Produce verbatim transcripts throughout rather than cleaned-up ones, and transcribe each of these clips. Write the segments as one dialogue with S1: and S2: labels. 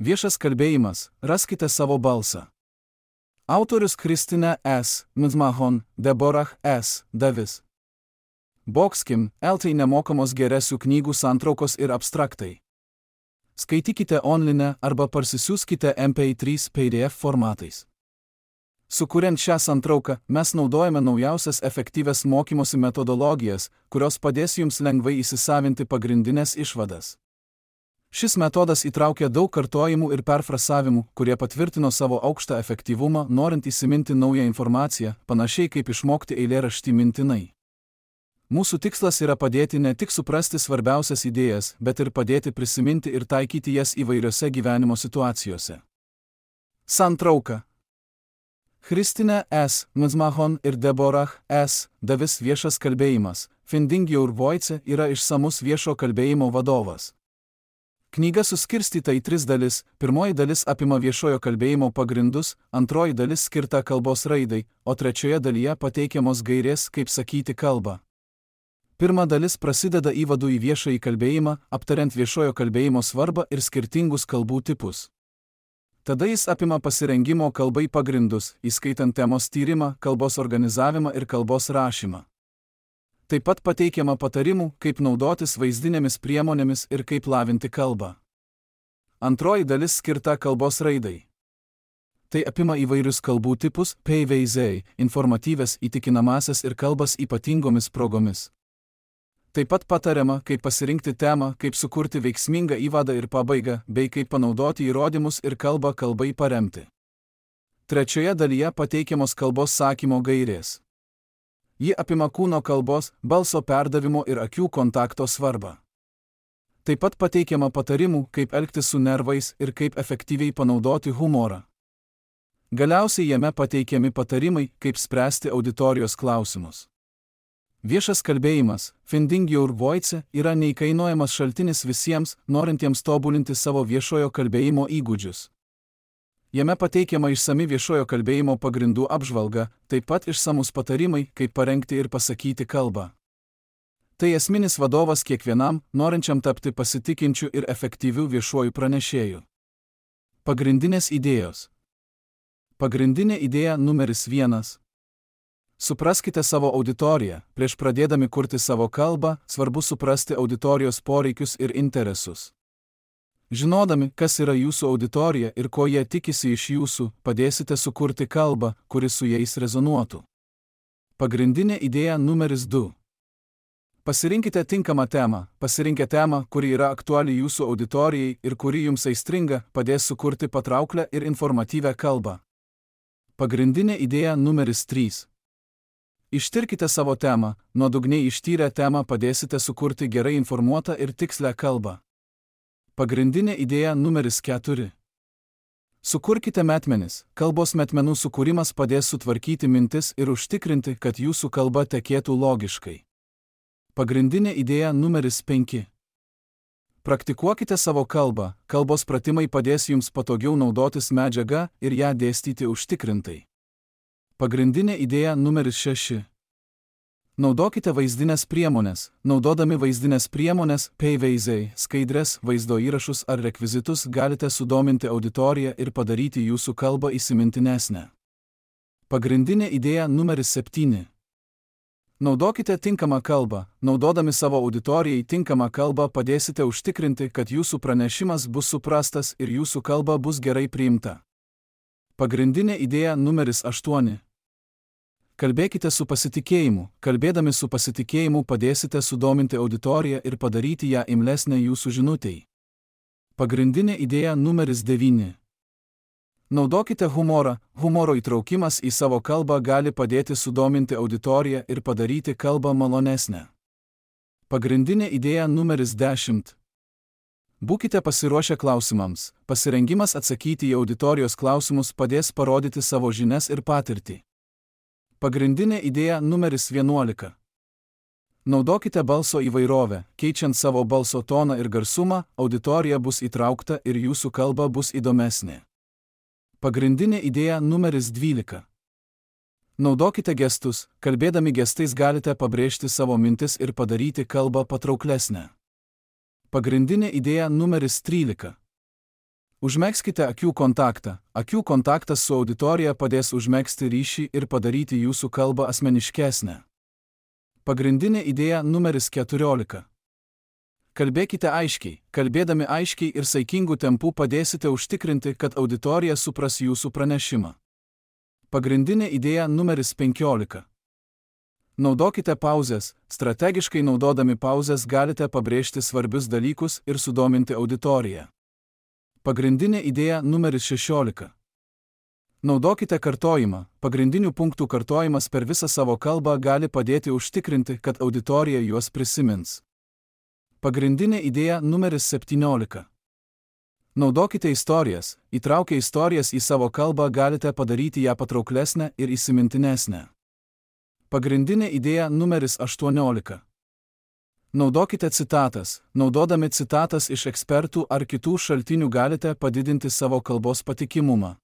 S1: Viešas kalbėjimas, raskite savo balsą. Autorius Kristina S. Mzmahon, Deborah S. Davis. Boxkim, L T nemokamos geresių knygų santraukos ir abstraktai. Skaitykite online arba parsisiųskite M P trys P D F formatais. Sukuriant šią santrauką, mes naudojame naujausias efektyvias mokymosi metodologijas, kurios padės jums lengvai įsisavinti pagrindinės išvadas. Šis metodas įtraukia daug kartojimų ir perfrasavimų, kurie patvirtino savo aukštą efektyvumą, norint įsiminti naują informaciją, panašiai kaip išmokti eilėraštį mintinai. Mūsų tikslas yra padėti ne tik suprasti svarbiausias idėjas, bet ir padėti prisiminti ir taikyti jas įvairiose gyvenimo situacijose. Santrauka. Kristina S. Mzmahon ir Deborah S. Davis viešas kalbėjimas, Finding Your Voice yra išsamus viešo kalbėjimo vadovas. Knyga suskirstyta į tris dalis, pirmoji dalis apima viešojo kalbėjimo pagrindus, antroji dalis skirta kalbos raidai, o trečioje dalyje pateikiamos gairės, kaip sakyti kalbą. Pirma dalis prasideda įvadu į viešąjį kalbėjimą, aptariant viešojo kalbėjimo svarbą ir skirtingus kalbų tipus. Tada jis apima pasirengimo kalbai pagrindus, įskaitant temos tyrimą, kalbos organizavimą ir kalbos rašymą. Taip pat pateikiama patarimų, kaip naudotis vaizdinėmis priemonėmis ir kaip lavinti kalbą. Antroji dalis skirta kalbos raidai. Tai apima įvairius kalbų tipus, P V Z, informatyves, įtikinamasias ir kalbas ypatingomis progomis. Taip pat patariama, kaip pasirinkti temą, kaip sukurti veiksmingą įvadą ir pabaigą, bei kaip panaudoti įrodymus ir kalbą kalbai paremti. Trečioje dalyje pateikiamos kalbos sakymo gairės. Ji apima kūno kalbos, balso perdavimo ir akių kontakto svarbą. Taip pat pateikiama patarimų, kaip elgtis su nervais ir kaip efektyviai panaudoti humorą. Galiausiai jame pateikiami patarimai, kaip spręsti auditorijos klausimus. Viešas kalbėjimas, Finding Your Voice, yra neįkainojamas šaltinis visiems, norintiems tobulinti savo viešojo kalbėjimo įgūdžius. Jame pateikiama išsami viešojo kalbėjimo pagrindų apžvalga, taip pat išsamus patarimai, kaip parengti ir pasakyti kalbą. Tai esminis vadovas kiekvienam, norinčiam tapti pasitikinčiu ir efektyviu viešuoju pranešėju. Pagrindinės idėjos. Pagrindinė idėja numeris vienas. Supraskite savo auditoriją. Prieš pradėdami kurti savo kalbą, svarbu suprasti auditorijos poreikius ir interesus. Žinodami, kas yra jūsų auditorija ir ko jie tikisi iš jūsų, padėsite sukurti kalbą, kuri su jais rezonuotų. Pagrindinė idėja numeris du. Pasirinkite tinkamą temą. Pasirinkę temą, kuri yra aktuali jūsų auditorijai ir kuri jums aistringa, padės sukurti patrauklę ir informatyvią kalbą. Pagrindinė idėja numeris trys. Ištirkite savo temą. Nuodugniai ištyrę temą padėsite sukurti gerai informuotą ir tikslę kalbą. Pagrindinė idėja numeris keturi. Sukurkite metmenis. Kalbos metmenų sukūrimas padės sutvarkyti mintis ir užtikrinti, kad jūsų kalba tekėtų logiškai. Pagrindinė idėja numeris penki. Praktikuokite savo kalbą. Kalbos pratimai padės jums patogiau naudotis medžiaga ir ją dėstyti užtikrintai. Pagrindinė idėja numeris šeši. Naudokite vaizdinės priemonės. Naudodami vaizdinės priemonės, P V Z, skaidres, vaizdo įrašus ar rekvizitus galite sudominti auditoriją ir padaryti jūsų kalbą įsimintinesnę. Pagrindinė idėja numeris septyni. Naudokite tinkamą kalbą. Naudodami savo auditorijai tinkamą kalbą padėsite užtikrinti, kad jūsų pranešimas bus suprastas ir jūsų kalba bus gerai priimta. Pagrindinė idėja numeris aštuoni. Kalbėkite su pasitikėjimu. Kalbėdami su pasitikėjimu padėsite sudominti auditoriją ir padaryti ją imlesnę jūsų žinutei. Pagrindinė idėja numeris devyni. Naudokite humorą. Humoro įtraukimas į savo kalbą gali padėti sudominti auditoriją ir padaryti kalbą malonesnę. Pagrindinė idėja numeris dešimt. Būkite pasiruošę klausimams. Pasirengimas atsakyti į auditorijos klausimus padės parodyti savo žinias ir patirtį. Pagrindinė idėja numeris vienuolika. Naudokite balso įvairovę. Keičiant savo balso toną ir garsumą, auditorija bus įtraukta ir jūsų kalba bus įdomesnė. Pagrindinė idėja numeris dvylika. Naudokite gestus. Kalbėdami gestais galite pabrėžti savo mintis ir padaryti kalbą patrauklesnę. Pagrindinė idėja numeris trylika. Užmegzkite akių kontaktą. Akių kontaktas su auditorija padės užmegzti ryšį ir padaryti jūsų kalbą asmeniškesnę. Pagrindinė idėja numeris keturiolika. Kalbėkite aiškiai. Kalbėdami aiškiai ir saikingų tempų padėsite užtikrinti, kad auditorija supras jūsų pranešimą. Pagrindinė idėja numeris penkiolika. Naudokite pauzes. Strategiškai naudodami pauzes galite pabrėžti svarbius dalykus ir sudominti auditoriją. Pagrindinė idėja numeris šešiolika. Naudokite kartojimą. Pagrindinių punktų kartojimas per visą savo kalbą gali padėti užtikrinti, kad auditorija juos prisimins. Pagrindinė idėja numeris septyniolika. Naudokite istorijas. Įtraukę istorijas į savo kalbą galite padaryti ją patrauklesnę ir įsimintinesnę. Pagrindinė idėja numeris aštuoniolika. Naudokite citatas. Naudodami citatas iš ekspertų ar kitų šaltinių galite padidinti savo kalbos patikimumą.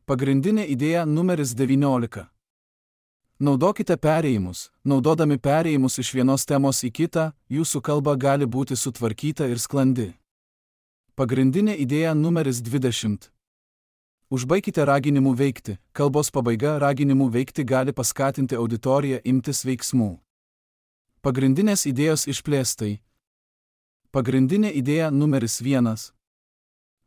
S1: Pagrindinė idėja numeris devyniolika. Naudokite perėjimus. Naudodami perėjimus iš vienos temos į kitą, jūsų kalba gali būti sutvarkyta ir sklandi. Pagrindinė idėja numeris dvidešimt. Užbaikite raginimu veikti. Kalbos pabaiga raginimu veikti gali paskatinti auditoriją imtis veiksmų. Pagrindinės idėjos išplėstai. Pagrindinė idėja numeris vienas.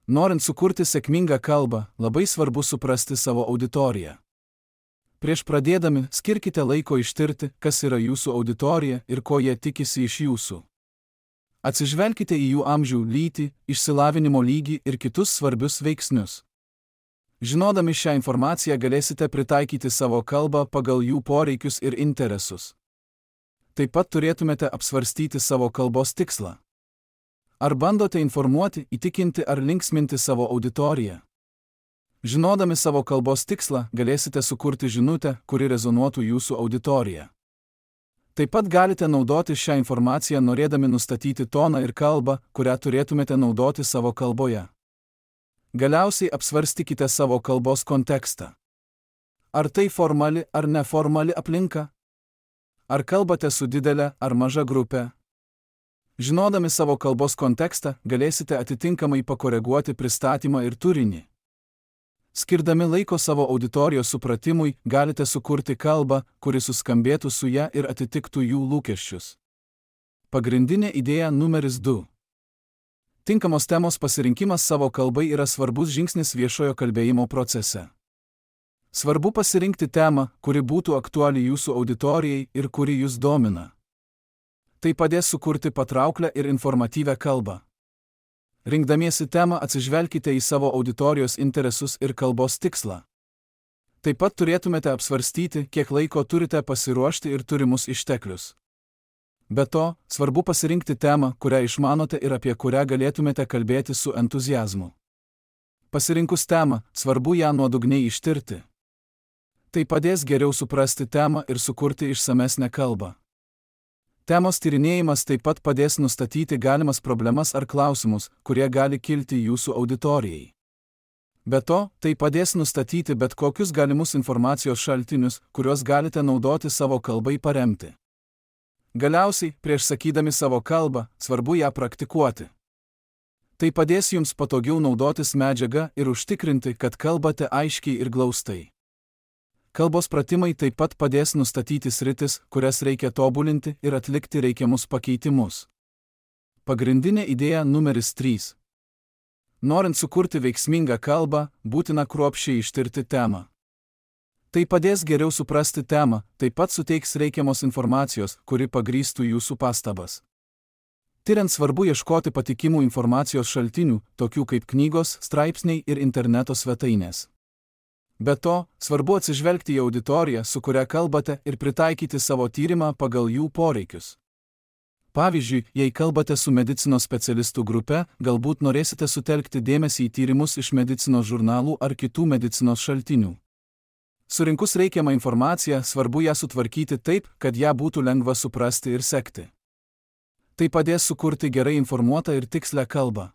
S1: Norint sukurti sėkmingą kalbą, labai svarbu suprasti savo auditoriją. Prieš pradėdami, skirkite laiko ištirti, kas yra jūsų auditorija ir ko jie tikisi iš jūsų. Atsižvelkite į jų amžių, lytį, išsilavinimo lygį ir kitus svarbius veiksnius. Žinodami šią informaciją galėsite pritaikyti savo kalbą pagal jų poreikius ir interesus. Taip pat turėtumėte apsvarstyti savo kalbos tikslą. Ar bandote informuoti, įtikinti ar linksminti savo auditoriją? Žinodami savo kalbos tikslą, galėsite sukurti žinutę, kuri rezonuotų jūsų auditoriją. Taip pat galite naudoti šią informaciją norėdami nustatyti toną ir kalbą, kurią turėtumėte naudoti savo kalboje. Galiausiai apsvarstykite savo kalbos kontekstą. Ar tai formali ar neformali aplinka? Ar kalbate su didelė ar maža grupė? Žinodami savo kalbos kontekstą, galėsite atitinkamai pakoreguoti pristatymą ir turinį. Skirdami laiko savo auditorijos supratimui, galite sukurti kalbą, kuri suskambėtų su ja ir atitiktų jų lūkesčius. Pagrindinė idėja numeris du. Tinkamos temos pasirinkimas savo kalbai yra svarbus žingsnis viešojo kalbėjimo procese. Svarbu pasirinkti temą, kuri būtų aktuali jūsų auditorijai ir kuri jūs domina. Tai padės sukurti patrauklę ir informatyvią kalbą. Rinkdamiesi temą atsižvelkite į savo auditorijos interesus ir kalbos tikslą. Taip pat turėtumėte apsvarstyti, kiek laiko turite pasiruošti ir turimus išteklius. Be to, svarbu pasirinkti temą, kurią išmanote ir apie kurią galėtumėte kalbėti su entuziazmu. Pasirinkus temą, svarbu ją nuodugniai ištirti. Tai padės geriau suprasti temą ir sukurti išsamesnę kalbą. Temos tyrinėjimas taip pat padės nustatyti galimas problemas ar klausimus, kurie gali kilti jūsų auditorijai. Be to, tai padės nustatyti bet kokius galimus informacijos šaltinius, kuriuos galite naudoti savo kalbai paremti. Galiausiai, prieš sakydami savo kalbą, svarbu ją praktikuoti. Tai padės jums patogiau naudotis medžiaga ir užtikrinti, kad kalbate aiškiai ir glaustai. Kalbos pratimai taip pat padės nustatyti sritis, kurias reikia tobulinti ir atlikti reikiamus pakeitimus. Pagrindinė idėja numeris trys. Norint sukurti veiksmingą kalbą, būtina kruopščiai ištirti temą. Tai padės geriau suprasti temą, taip pat suteiks reikiamos informacijos, kuri pagrįstų jūsų pastabas. Tiriant svarbu ieškoti patikimų informacijos šaltinių, tokių kaip knygos, straipsniai ir interneto svetainės. Be to, svarbu atsižvelgti į auditoriją, su kuria kalbate, ir pritaikyti savo tyrimą pagal jų poreikius. Pavyzdžiui, jei kalbate su medicinos specialistų grupe, galbūt norėsite sutelkti dėmesį į tyrimus iš medicinos žurnalų ar kitų medicinos šaltinių. Surinkus reikiamą informaciją, svarbu ją sutvarkyti taip, kad ją būtų lengva suprasti ir sekti. Tai padės sukurti gerai informuotą ir tikslę kalbą.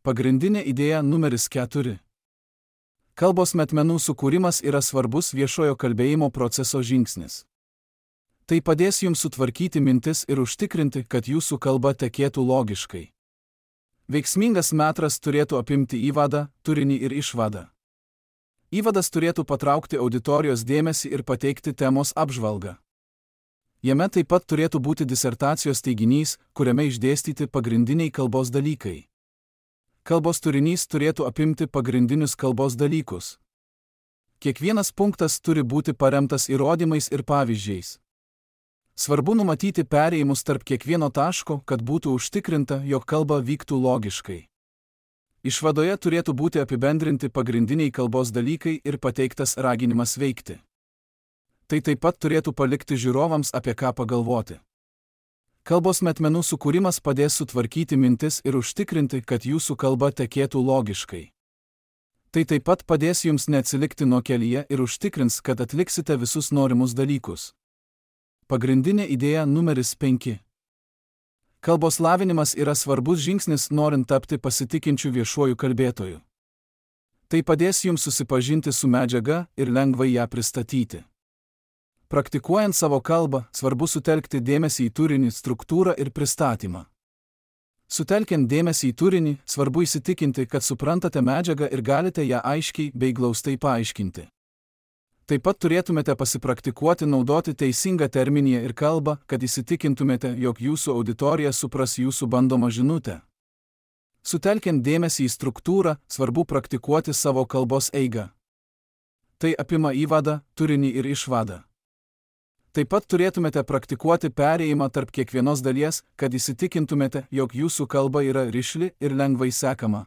S1: Pagrindinė idėja numeris keturi. Kalbos metmenų sukūrimas yra svarbus viešojo kalbėjimo proceso žingsnis. Tai padės jums sutvarkyti mintis ir užtikrinti, kad jūsų kalba tekėtų logiškai. Veiksmingas metras turėtų apimti įvadą, turinį ir išvadą. Įvadas turėtų patraukti auditorijos dėmesį ir pateikti temos apžvalgą. Jame taip pat turėtų būti disertacijos teiginys, kuriame išdėstyti pagrindiniai kalbos dalykai. Kalbos turinys turėtų apimti pagrindinius kalbos dalykus. Kiekvienas punktas turi būti paremtas įrodymais ir pavyzdžiais. Svarbu numatyti perėjimus tarp kiekvieno taško, kad būtų užtikrinta, jog kalba vyktų logiškai. Išvadoje turėtų būti apibendrinti pagrindiniai kalbos dalykai ir pateiktas raginimas veikti. Tai taip pat turėtų palikti žiūrovams apie ką pagalvoti. Kalbos metmenų sukūrimas padės sutvarkyti mintis ir užtikrinti, kad jūsų kalba tekėtų logiškai. Tai taip pat padės jums neatsilikti nuo kelyje ir užtikrins, kad atliksite visus norimus dalykus. Pagrindinė idėja numeris penki. Kalbos lavinimas yra svarbus žingsnis norint tapti pasitikinčiu viešuoju kalbėtoju. Tai padės jums susipažinti su medžiaga ir lengvai ją pristatyti. Praktikuojant savo kalbą, svarbu sutelkti dėmesį į turinį, struktūrą ir pristatymą. Sutelkiant dėmesį į turinį, svarbu įsitikinti, kad suprantate medžiagą ir galite ją aiškiai bei glaustai paaiškinti. Taip pat turėtumėte pasipraktikuoti naudoti teisingą terminiją ir kalbą, kad įsitikintumėte, jog jūsų auditorija supras jūsų bandomą žinutę. Sutelkiant dėmesį į struktūrą, svarbu praktikuoti savo kalbos eigą. Tai apima įvadą, turinį ir išvadą. Taip pat turėtumėte praktikuoti perėjimą tarp kiekvienos dalies, kad įsitikintumėte, jog jūsų kalba yra rišli ir lengvai sekama.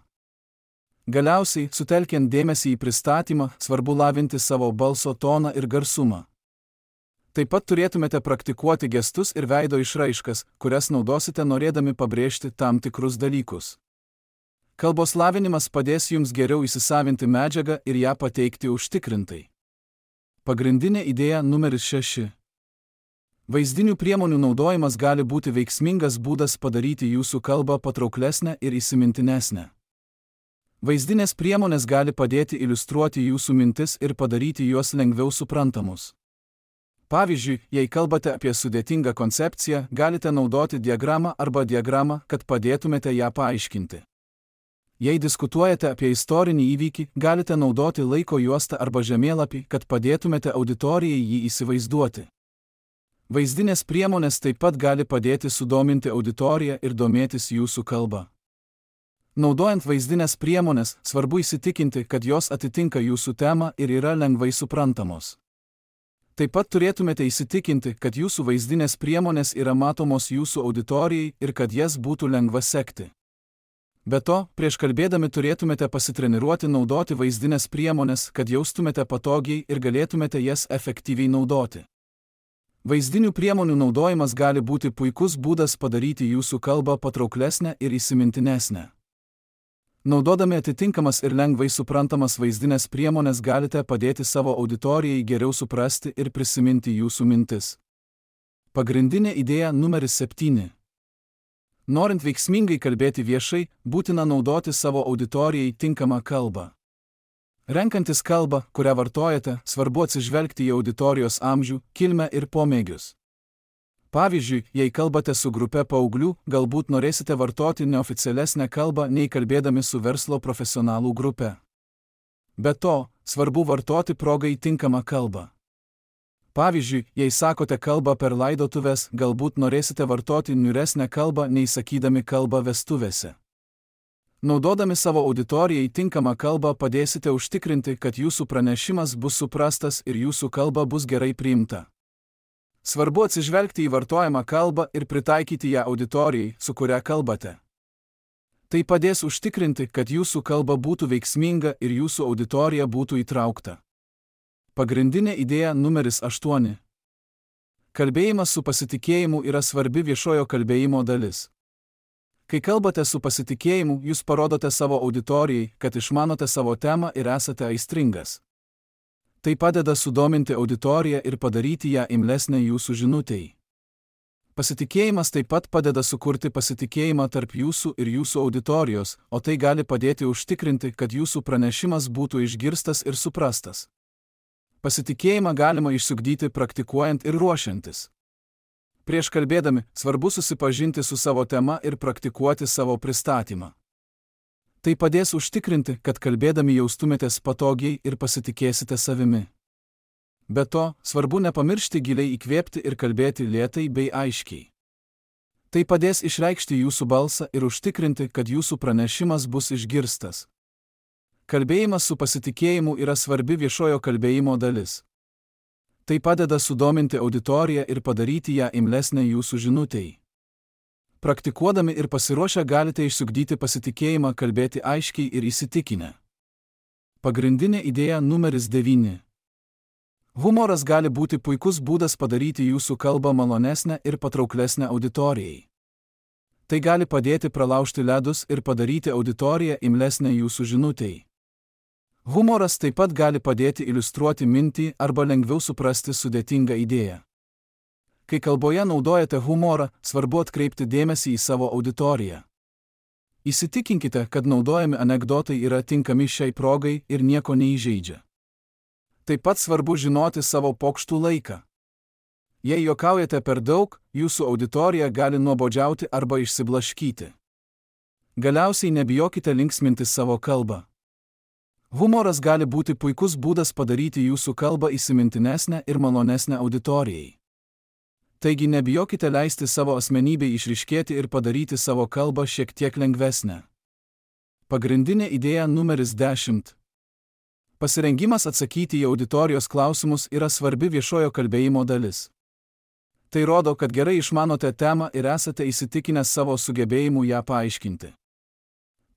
S1: Galiausiai, sutelkiant dėmesį į pristatymą, svarbu lavinti savo balso toną ir garsumą. Taip pat turėtumėte praktikuoti gestus ir veido išraiškas, kurias naudosite norėdami pabrėžti tam tikrus dalykus. Kalbos lavinimas padės jums geriau įsisavinti medžiagą ir ją pateikti užtikrintai. Pagrindinė idėja numeris šeši. Vaizdinių priemonių naudojimas gali būti veiksmingas būdas padaryti jūsų kalbą patrauklesnę ir įsimintinesnę. Vaizdinės priemonės gali padėti iliustruoti jūsų mintis ir padaryti juos lengviau suprantamus. Pavyzdžiui, jei kalbate apie sudėtingą koncepciją, galite naudoti diagramą arba diagramą, kad padėtumėte ją paaiškinti. Jei diskutuojate apie istorinį įvykį, galite naudoti laiko juostą arba žemėlapį, kad padėtumėte auditorijai jį įsivaizduoti. Vaizdinės priemonės taip pat gali padėti sudominti auditoriją ir domėtis jūsų kalba. Naudojant vaizdinės priemonės, svarbu įsitikinti, kad jos atitinka jūsų temą ir yra lengvai suprantamos. Taip pat turėtumėte įsitikinti, kad jūsų vaizdinės priemonės yra matomos jūsų auditorijai ir kad jas būtų lengva sekti. Be to, prieš kalbėdami turėtumėte pasitreniruoti naudoti vaizdinės priemonės, kad jaustumėte patogiai ir galėtumėte jas efektyviai naudoti. Vaizdinių priemonių naudojimas gali būti puikus būdas padaryti jūsų kalbą patrauklesnę ir įsimintinesnę. Naudodami atitinkamas ir lengvai suprantamas vaizdinės priemonės galite padėti savo auditorijai geriau suprasti ir prisiminti jūsų mintis. Pagrindinė idėja numeris septyni. Norint veiksmingai kalbėti viešai, būtina naudoti savo auditorijai tinkamą kalbą. Renkantis kalbą, kurią vartojate, svarbu atsižvelgti į auditorijos amžių, kilmę ir pomėgius. Pavyzdžiui, jei kalbate su grupe paauglių, galbūt norėsite vartoti neoficialesnę kalbą nei kalbėdami su verslo profesionalų grupe. Be to, svarbu vartoti progai tinkamą kalbą. Pavyzdžiui, jei sakote kalbą per laidotuves, galbūt norėsite vartoti niūresnę kalbą nei sakydami kalbą vestuvėse. Naudodami savo auditorijai tinkamą kalbą padėsite užtikrinti, kad jūsų pranešimas bus suprastas ir jūsų kalba bus gerai priimta. Svarbu atsižvelgti į vartojamą kalbą ir pritaikyti ją auditorijai, su kuria kalbate. Tai padės užtikrinti, kad jūsų kalba būtų veiksminga ir jūsų auditorija būtų įtraukta. Pagrindinė idėja numeris aštuoni. Kalbėjimas su pasitikėjimu yra svarbi viešojo kalbėjimo dalis. Kai kalbate su pasitikėjimu, jūs parodote savo auditorijai, kad išmanote savo temą ir esate aistringas. Tai padeda sudominti auditoriją ir padaryti ją imlesnę jūsų žinutei. Pasitikėjimas taip pat padeda sukurti pasitikėjimą tarp jūsų ir jūsų auditorijos, o tai gali padėti užtikrinti, kad jūsų pranešimas būtų išgirstas ir suprastas. Pasitikėjimą galima išsiugdyti praktikuojant ir ruošiantis. Prieš kalbėdami, svarbu susipažinti su savo tema ir praktikuoti savo pristatymą. Tai padės užtikrinti, kad kalbėdami jaustumėtės patogiai ir pasitikėsite savimi. Be to, svarbu nepamiršti giliai įkvėpti ir kalbėti lėtai bei aiškiai. Tai padės išreikšti jūsų balsą ir užtikrinti, kad jūsų pranešimas bus išgirstas. Kalbėjimas su pasitikėjimu yra svarbi viešojo kalbėjimo dalis. Tai padeda sudominti auditoriją ir padaryti ją imlesnę jūsų žinutei. Praktikuodami ir pasiruošę galite išsiugdyti pasitikėjimą kalbėti aiškiai ir įsitikinę. Pagrindinė idėja numeris devyni. Humoras gali būti puikus būdas padaryti jūsų kalbą malonesnę ir patrauklesnę auditorijai. Tai gali padėti pralaužti ledus ir padaryti auditoriją imlesnę jūsų žinutei. Humoras taip pat gali padėti iliustruoti mintį arba lengviau suprasti sudėtingą idėją. Kai kalboje naudojate humorą, svarbu atkreipti dėmesį į savo auditoriją. Įsitikinkite, kad naudojami anekdotai yra tinkami šiai progai ir nieko neįžeidžia. Taip pat svarbu žinoti savo pokštų laiką. Jei juokaujate per daug, jūsų auditorija gali nuobodžiauti arba išsiblaškyti. Galiausiai nebijokite linksminti savo kalbą. Humoras gali būti puikus būdas padaryti jūsų kalbą įsimintinesnę ir malonesnę auditorijai. Taigi nebijokite leisti savo asmenybei išryškėti ir padaryti savo kalbą šiek tiek lengvesnę. Pagrindinė idėja numeris dešimt. Pasirengimas atsakyti į auditorijos klausimus yra svarbi viešojo kalbėjimo dalis. Tai rodo, kad gerai išmanote temą ir esate įsitikinę savo sugebėjimu ją paaiškinti.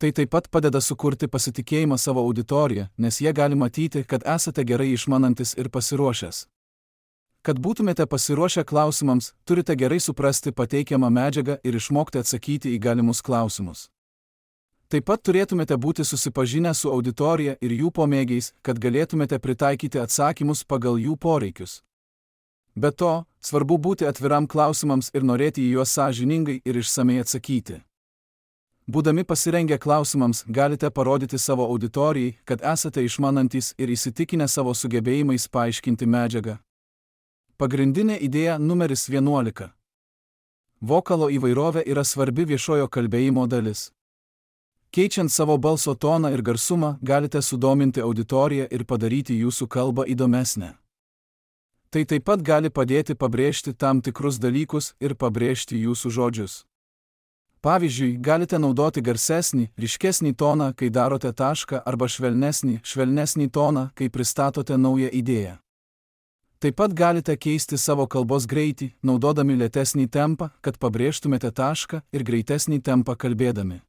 S1: Tai taip pat padeda sukurti pasitikėjimą savo auditoriją, nes jie gali matyti, kad esate gerai išmanantis ir pasiruošęs. Kad būtumėte pasiruošę klausimams, turite gerai suprasti pateikiamą medžiagą ir išmokti atsakyti į galimus klausimus. Taip pat turėtumėte būti susipažinę su auditorija ir jų pomėgiais, kad galėtumėte pritaikyti atsakymus pagal jų poreikius. Be to, svarbu būti atviram klausimams ir norėti į juos sąžiningai ir išsamei atsakyti. Būdami pasirengę klausimams, galite parodyti savo auditorijai, kad esate išmanantys ir įsitikinę savo sugebėjimais paaiškinti medžiagą. Pagrindinė idėja numeris vienuolika. Vokalo įvairovė yra svarbi viešojo kalbėjimo dalis. Keičiant savo balso toną ir garsumą, galite sudominti auditoriją ir padaryti jūsų kalbą įdomesnę. Tai taip pat gali padėti pabrėžti tam tikrus dalykus ir pabrėžti jūsų žodžius. Pavyzdžiui, galite naudoti garsesnį, ryškesnį toną, kai darote tašką, arba švelnesnį, švelnesnį toną, kai pristatote naują idėją. Taip pat galite keisti savo kalbos greitį, naudodami lėtesnį tempą, kad pabrėžtumėte tašką ir greitesnį tempą kalbėdami.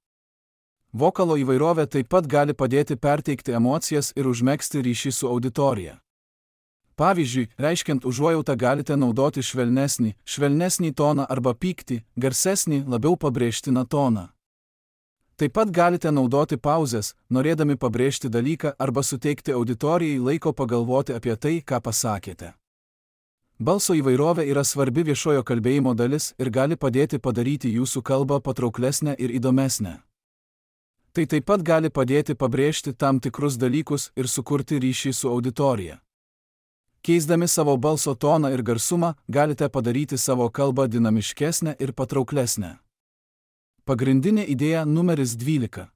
S1: Vokalo įvairovė taip pat gali padėti perteikti emocijas ir užmegzti ryšį su auditorija. Pavyzdžiui, reiškiant užuojautą galite naudoti švelnesnį, švelnesnį toną arba pyktį, garsesnį, labiau pabrėžtiną toną. Taip pat galite naudoti pauzes, norėdami pabrėžti dalyką arba suteikti auditorijai laiko pagalvoti apie tai, ką pasakėte. Balso įvairovė yra svarbi viešojo kalbėjimo dalis ir gali padėti padaryti jūsų kalbą patrauklesnę ir įdomesnę. Tai taip pat gali padėti pabrėžti tam tikrus dalykus ir sukurti ryšį su auditorija. Keisdami savo balso toną ir garsumą, galite padaryti savo kalbą dinamiškesnę ir patrauklesnę. Pagrindinė idėja numeris dvylika.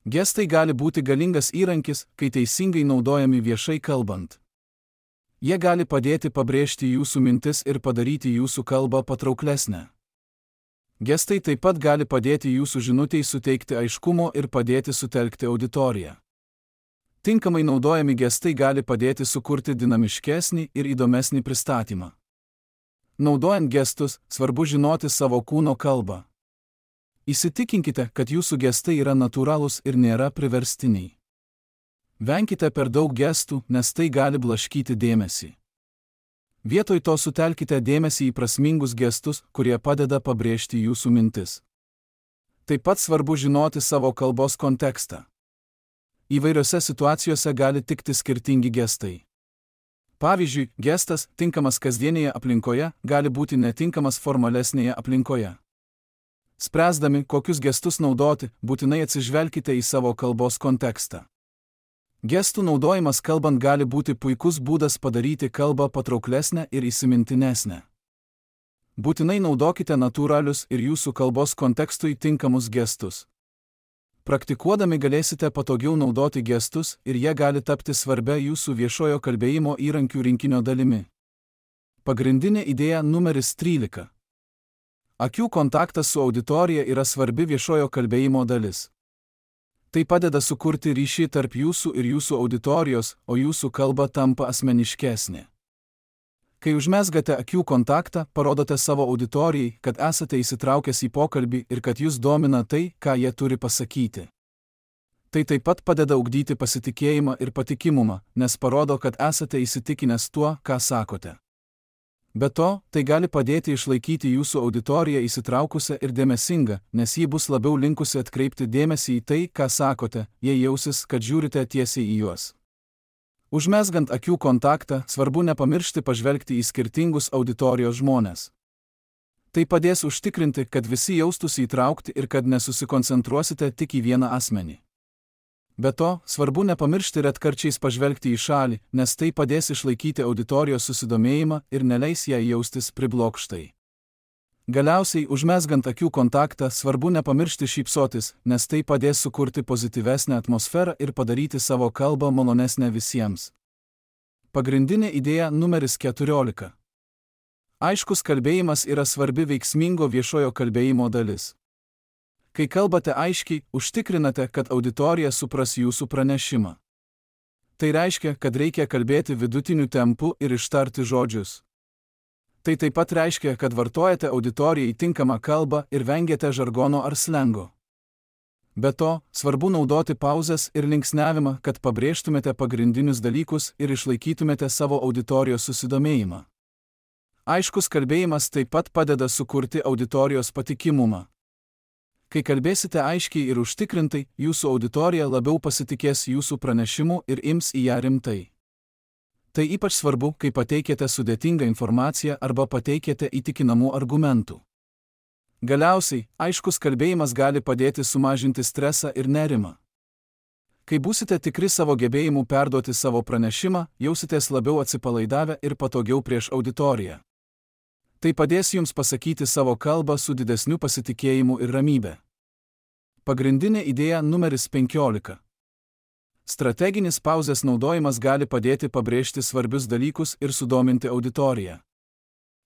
S1: Gestai gali būti galingas įrankis, kai teisingai naudojami viešai kalbant. Jie gali padėti pabrėžti jūsų mintis ir padaryti jūsų kalbą patrauklesnę. Gestai taip pat gali padėti jūsų žinutei suteikti aiškumo ir padėti sutelkti auditoriją. Tinkamai naudojami gestai gali padėti sukurti dinamiškesnį ir įdomesnį pristatymą. Naudojant gestus, svarbu žinoti savo kūno kalbą. Įsitikinkite, kad jūsų gestai yra natūralūs ir nėra priverstiniai. Venkite per daug gestų, nes tai gali blaškyti dėmesį. Vietoj to sutelkite dėmesį į prasmingus gestus, kurie padeda pabrėžti jūsų mintis. Taip pat svarbu žinoti savo kalbos kontekstą. Įvairiose situacijose gali tikti skirtingi gestai. Pavyzdžiui, gestas, tinkamas kasdienėje aplinkoje, gali būti netinkamas formalesnėje aplinkoje. Spręsdami, kokius gestus naudoti, būtinai atsižvelkite į savo kalbos kontekstą. Gestų naudojimas kalbant gali būti puikus būdas padaryti kalbą patrauklesnę ir įsimintinesnę. Būtinai naudokite natūralius ir jūsų kalbos kontekstui tinkamus gestus. Praktikuodami galėsite patogiau naudoti gestus ir jie gali tapti svarbia jūsų viešojo kalbėjimo įrankių rinkinio dalimi. Pagrindinė idėja numeris trylika. Akių kontaktas su auditorija yra svarbi viešojo kalbėjimo dalis. Tai padeda sukurti ryšį tarp jūsų ir jūsų auditorijos, o jūsų kalba tampa asmeniškesnė. Kai užmezgate akių kontaktą, parodote savo auditorijai, kad esate įsitraukęs į pokalbį ir kad jūs domina tai, ką jie turi pasakyti. Tai taip pat padeda ugdyti pasitikėjimą ir patikimumą, nes parodo, kad esate įsitikinęs tuo, ką sakote. Be to, tai gali padėti išlaikyti jūsų auditoriją įsitraukusią ir dėmesingą, nes ji bus labiau linkusi atkreipti dėmesį į tai, ką sakote, jei jausis, kad žiūrite tiesiai į juos. Užmezgant akių kontaktą, svarbu nepamiršti pažvelgti į skirtingus auditorijos žmones. Tai padės užtikrinti, kad visi jaustųsi įtraukti ir kad nesusikoncentruosite tik į vieną asmenį. Be to, svarbu nepamiršti retkarčiais pažvelgti į šalį, nes tai padės išlaikyti auditorijos susidomėjimą ir neleis jai jaustis priblokštai. Galiausiai, užmezgant akių kontaktą, svarbu nepamiršti šypsotis, nes tai padės sukurti pozityvesnę atmosferą ir padaryti savo kalbą malonesnę visiems. Pagrindinė idėja numeris keturiolika. Aiškus kalbėjimas yra svarbi veiksmingo viešojo kalbėjimo dalis. Kai kalbate aiškiai, užtikrinate, kad auditorija supras jūsų pranešimą. Tai reiškia, kad reikia kalbėti vidutiniu tempu ir ištarti žodžius. Tai taip pat reiškia, kad vartojate auditorijai tinkamą kalbą ir vengiate žargono ar slengo. Be to, svarbu naudoti pauzes ir linksniavimą, kad pabrėžtumėte pagrindinius dalykus ir išlaikytumėte savo auditorijos susidomėjimą. Aiškus kalbėjimas taip pat padeda sukurti auditorijos patikimumą. Kai kalbėsite aiškiai ir užtikrintai, jūsų auditorija labiau pasitikės jūsų pranešimu ir ims į ją rimtai. Tai ypač svarbu, kai pateikėte sudėtingą informaciją arba pateikėte įtikinamų argumentų. Galiausiai, aiškus kalbėjimas gali padėti sumažinti stresą ir nerimą. Kai būsite tikri savo gebėjimų perduoti savo pranešimą, jausitės labiau atsipalaidavę ir patogiau prieš auditoriją. Tai padės jums pasakyti savo kalbą su didesniu pasitikėjimu ir ramybe. Pagrindinė idėja numeris penkiolika. Strateginis pauzės naudojimas gali padėti pabrėžti svarbius dalykus ir sudominti auditoriją.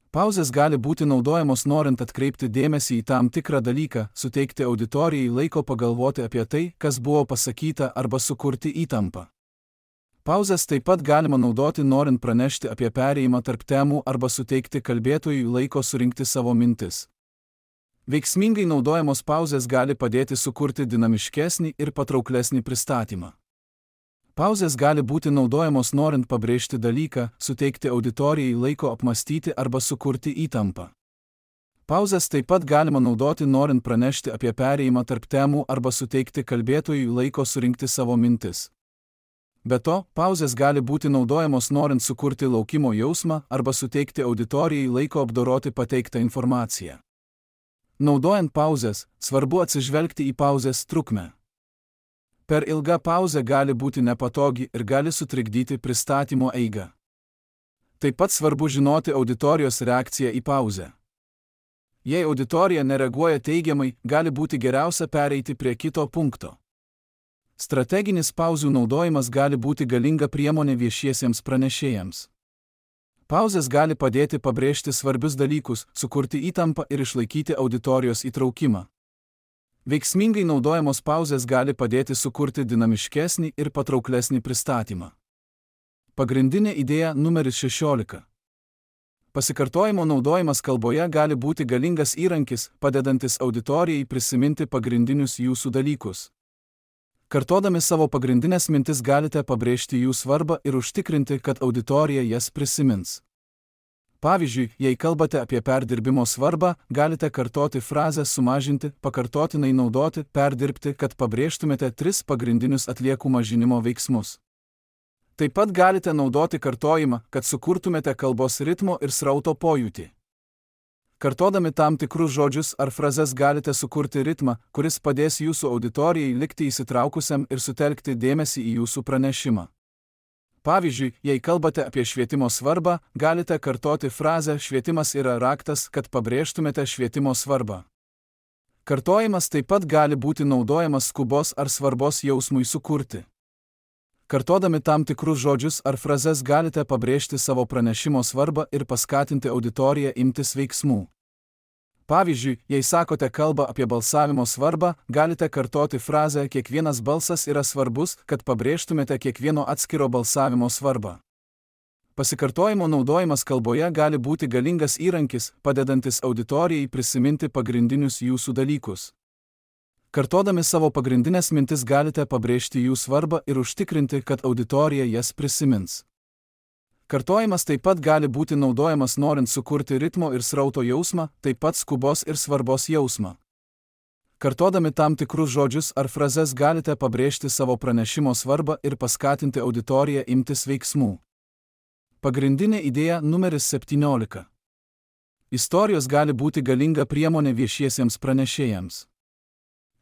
S1: Pauzės gali būti naudojamos norint atkreipti dėmesį į tam tikrą dalyką, suteikti auditorijai laiko pagalvoti apie tai, kas buvo pasakyta, arba sukurti įtampą. Pauzės taip pat galima naudoti norint pranešti apie perėjimą tarp temų arba suteikti kalbėtojui laiko surinkti savo mintis. Veiksmingai naudojamos pauzės gali padėti sukurti dinamiškesnį ir patrauklesnį pristatymą. Pauzės gali būti naudojamos norint pabrėžti dalyką, suteikti auditorijai laiko apmastyti arba sukurti įtampą. Pauzės taip pat galima naudoti norint pranešti apie perėjimą tarp temų arba suteikti kalbėtojui laiko surinkti savo mintis. Be to, pauzės gali būti naudojamos norint sukurti laukimo jausmą arba suteikti auditorijai laiko apdoroti pateiktą informaciją. Naudojant pauzės, svarbu atsižvelgti į pauzės trukmę. Per ilga pauzė gali būti nepatogi ir gali sutrikdyti pristatymo eigą. Taip pat svarbu žinoti auditorijos reakciją į pauzę. Jei auditorija nereaguoja teigiamai, gali būti geriausia pereiti prie kito punkto. Strateginis pauzių naudojimas gali būti galinga priemonė viešiesiems pranešėjams. Pauzės gali padėti pabrėžti svarbius dalykus, sukurti įtampą ir išlaikyti auditorijos įtraukimą. Veiksmingai naudojamos pauzės gali padėti sukurti dinamiškesnį ir patrauklesnį pristatymą. Pagrindinė idėja numeris šešiolika. Pasikartojimo naudojimas kalboje gali būti galingas įrankis, padedantis auditorijai prisiminti pagrindinius jūsų dalykus. Kartodami savo pagrindinės mintis galite pabrėžti jų svarbą ir užtikrinti, kad auditorija jas prisimins. Pavyzdžiui, jei kalbate apie perdirbimo svarbą, galite kartoti frazę sumažinti, pakartotinai naudoti, perdirbti, kad pabrėžtumėte tris pagrindinius atliekų mažinimo veiksmus. Taip pat galite naudoti kartojimą, kad sukurtumėte kalbos ritmo ir srauto pojūtį. Kartodami tam tikrus žodžius ar frazes galite sukurti ritmą, kuris padės jūsų auditorijai likti įsitraukusiam ir sutelkti dėmesį į jūsų pranešimą. Pavyzdžiui, jei kalbate apie švietimo svarbą, galite kartoti frazę "švietimas yra raktas", kad pabrėžtumėte švietimo svarbą. Kartojimas taip pat gali būti naudojamas skubos ar svarbos jausmui sukurti. Kartodami tam tikrus žodžius ar frazes galite pabrėžti savo pranešimo svarbą ir paskatinti auditoriją imtis veiksmų. Pavyzdžiui, jei sakote kalbą apie balsavimo svarbą, galite kartoti frazę "kiekvienas balsas yra svarbus", kad pabrėžtumėte kiekvieno atskiro balsavimo svarbą. Pasikartojimo naudojimas kalboje gali būti galingas įrankis, padedantis auditorijai prisiminti pagrindinius jūsų dalykus. Kartodami savo pagrindinės mintis galite pabrėžti jų svarbą ir užtikrinti, kad auditorija jas prisimins. Kartojimas taip pat gali būti naudojamas norint sukurti ritmo ir srauto jausmą, taip pat skubos ir svarbos jausmą. Kartodami tam tikrus žodžius ar frazes galite pabrėžti savo pranešimo svarbą ir paskatinti auditoriją imtis veiksmų. Pagrindinė idėja numeris septyniolika. Istorijos gali būti galinga priemonė viešiesiems pranešėjams.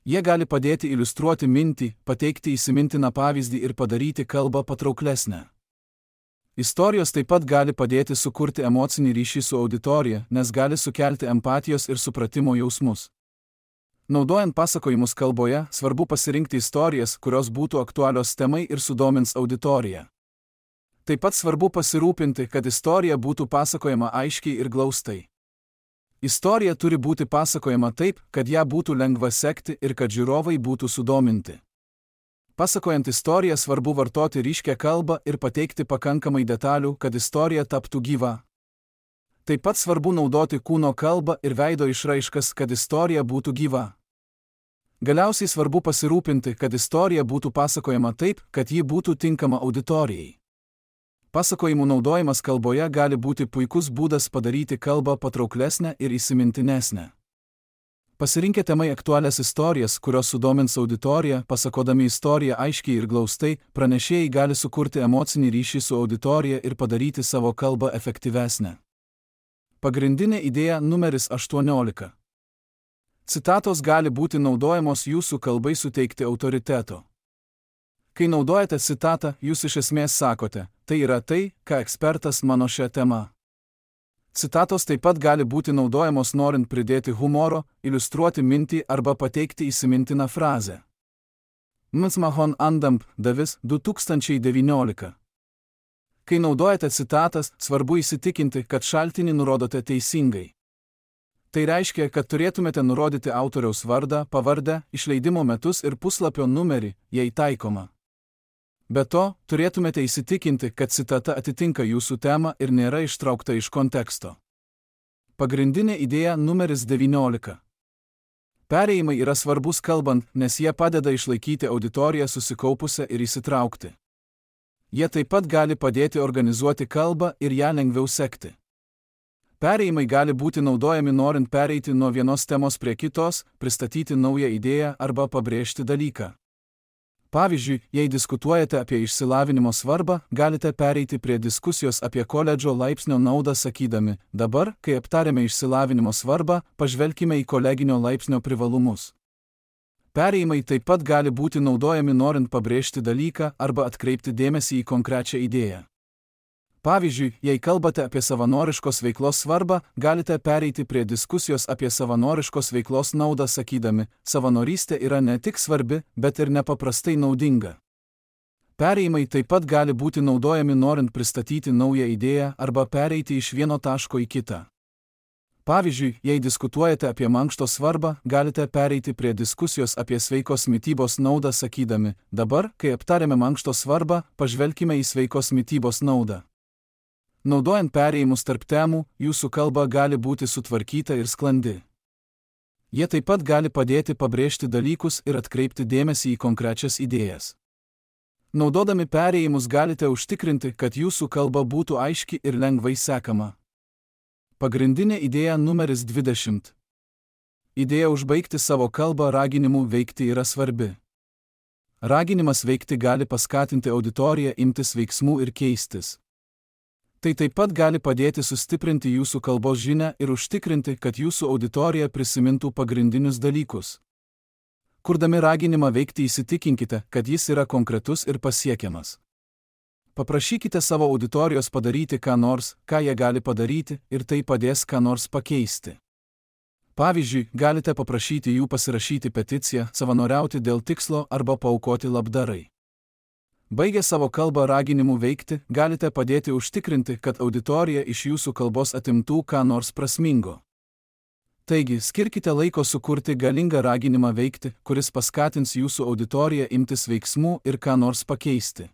S1: Jie gali padėti iliustruoti mintį, pateikti įsimintiną pavyzdį ir padaryti kalbą patrauklesnę. Istorijos taip pat gali padėti sukurti emocinį ryšį su auditorija, nes gali sukelti empatijos ir supratimo jausmus. Naudojant pasakojimus kalboje, svarbu pasirinkti istorijas, kurios būtų aktualios temai ir sudomins auditoriją. Taip pat svarbu pasirūpinti, kad istorija būtų pasakojama aiškiai ir glaustai. Istorija turi būti pasakojama taip, kad ją būtų lengva sekti ir kad žiūrovai būtų sudominti. Pasakojant istoriją svarbu vartoti ryškią kalbą ir pateikti pakankamai detalių, kad istorija taptų gyva. Taip pat svarbu naudoti kūno kalbą ir veido išraiškas, kad istorija būtų gyva. Galiausiai svarbu pasirūpinti, kad istorija būtų pasakojama taip, kad ji būtų tinkama auditorijai. Pasakojimų naudojimas kalboje gali būti puikus būdas padaryti kalbą patrauklesnę ir įsimintinesnę. Pasirinkę temai aktualias istorijas, kurios sudomins auditoriją, pasakodami istoriją aiškiai ir glaustai, pranešėjai gali sukurti emocinį ryšį su auditorija ir padaryti savo kalbą efektyvesnę. Pagrindinė idėja numeris aštuoniolika. Citatos gali būti naudojamos jūsų kalbai suteikti autoriteto. Kai naudojate citatą, jūs iš esmės sakote, tai yra tai, ką ekspertas mano šią temą. Citatos taip pat gali būti naudojamos norint pridėti humoro, iliustruoti mintį arba pateikti įsimintiną frazę. Mtsmahon Andamp, Davis, du tūkstančiai devyniolika. Kai naudojate citatas, svarbu įsitikinti, kad šaltinį nurodote teisingai. Tai reiškia, kad turėtumėte nurodyti autoriaus vardą, pavardę, išleidimo metus ir puslapio numerį, jei taikoma. Be to, turėtumėte įsitikinti, kad citata atitinka jūsų temą ir nėra ištraukta iš konteksto. Pagrindinė idėja numeris devyniolika. Perėjimai yra svarbus kalbant, nes jie padeda išlaikyti auditoriją susikaupusią ir įsitraukti. Jie taip pat gali padėti organizuoti kalbą ir ją lengviau sekti. Perėjimai gali būti naudojami norint pereiti nuo vienos temos prie kitos, pristatyti naują idėją arba pabrėžti dalyką. Pavyzdžiui, jei diskutuojate apie išsilavinimo svarbą, galite pereiti prie diskusijos apie koledžo laipsnio naudą sakydami, dabar, kai aptarėme išsilavinimo svarbą, pažvelkime į koleginio laipsnio privalumus. Perėjimai taip pat gali būti naudojami norint pabrėžti dalyką arba atkreipti dėmesį į konkrečią idėją. Pavyzdžiui, jei kalbate apie savanoriškos veiklos svarbą, galite pereiti prie diskusijos apie savanoriškos veiklos naudą sakydami, savanorystė yra ne tik svarbi, bet ir nepaprastai naudinga. Perėjimai taip pat gali būti naudojami norint pristatyti naują idėją arba pereiti iš vieno taško į kitą. Pavyzdžiui, jei diskutuojate apie mankšto svarbą, galite pereiti prie diskusijos apie sveikos mitybos naudą sakydami, dabar, kai aptarėme mankšto svarbą, pažvelkime į sveikos mitybos naudą. Naudojant perėjimus tarp temų, jūsų kalba gali būti sutvarkyta ir sklandi. Jie taip pat gali padėti pabrėžti dalykus ir atkreipti dėmesį į konkrečias idėjas. Naudodami perėjimus galite užtikrinti, kad jūsų kalba būtų aiški ir lengvai sekama. Pagrindinė idėja numeris dvidešimt. Idėja užbaigti savo kalbą raginimu veikti yra svarbi. Raginimas veikti gali paskatinti auditoriją imtis veiksmų ir keistis. Tai taip pat gali padėti sustiprinti jūsų kalbos žinią ir užtikrinti, kad jūsų auditorija prisimintų pagrindinius dalykus. Kurdami raginimą veikti įsitikinkite, kad jis yra konkretus ir pasiekiamas. Paprašykite savo auditorijos padaryti ką nors, ką jie gali padaryti, ir tai padės ką nors pakeisti. Pavyzdžiui, galite paprašyti jų pasirašyti peticiją, savanoriauti dėl tikslo arba paaukoti labdarai. Baigę savo kalbą raginimu veikti, galite padėti užtikrinti, kad auditorija iš jūsų kalbos atimtų ką nors prasmingo. Taigi, skirkite laiko sukurti galingą raginimą veikti, kuris paskatins jūsų auditoriją imtis veiksmų ir ką nors pakeisti.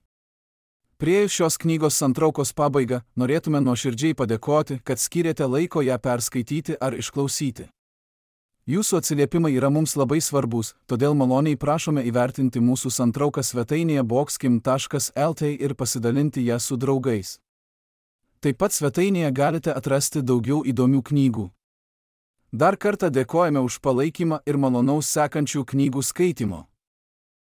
S1: Priėjus šios knygos santraukos pabaigą, norėtume nuoširdžiai padėkoti, kad skyrėte laiko ją perskaityti ar išklausyti. Jūsų atsiliepimai yra mums labai svarbus, todėl maloniai prašome įvertinti mūsų santrauką svetainėje boxkim taškas lt ir pasidalinti ją su draugais. Taip pat svetainėje galite atrasti daugiau įdomių knygų. Dar kartą dėkojame už palaikymą ir malonaus sekančių knygų skaitimo.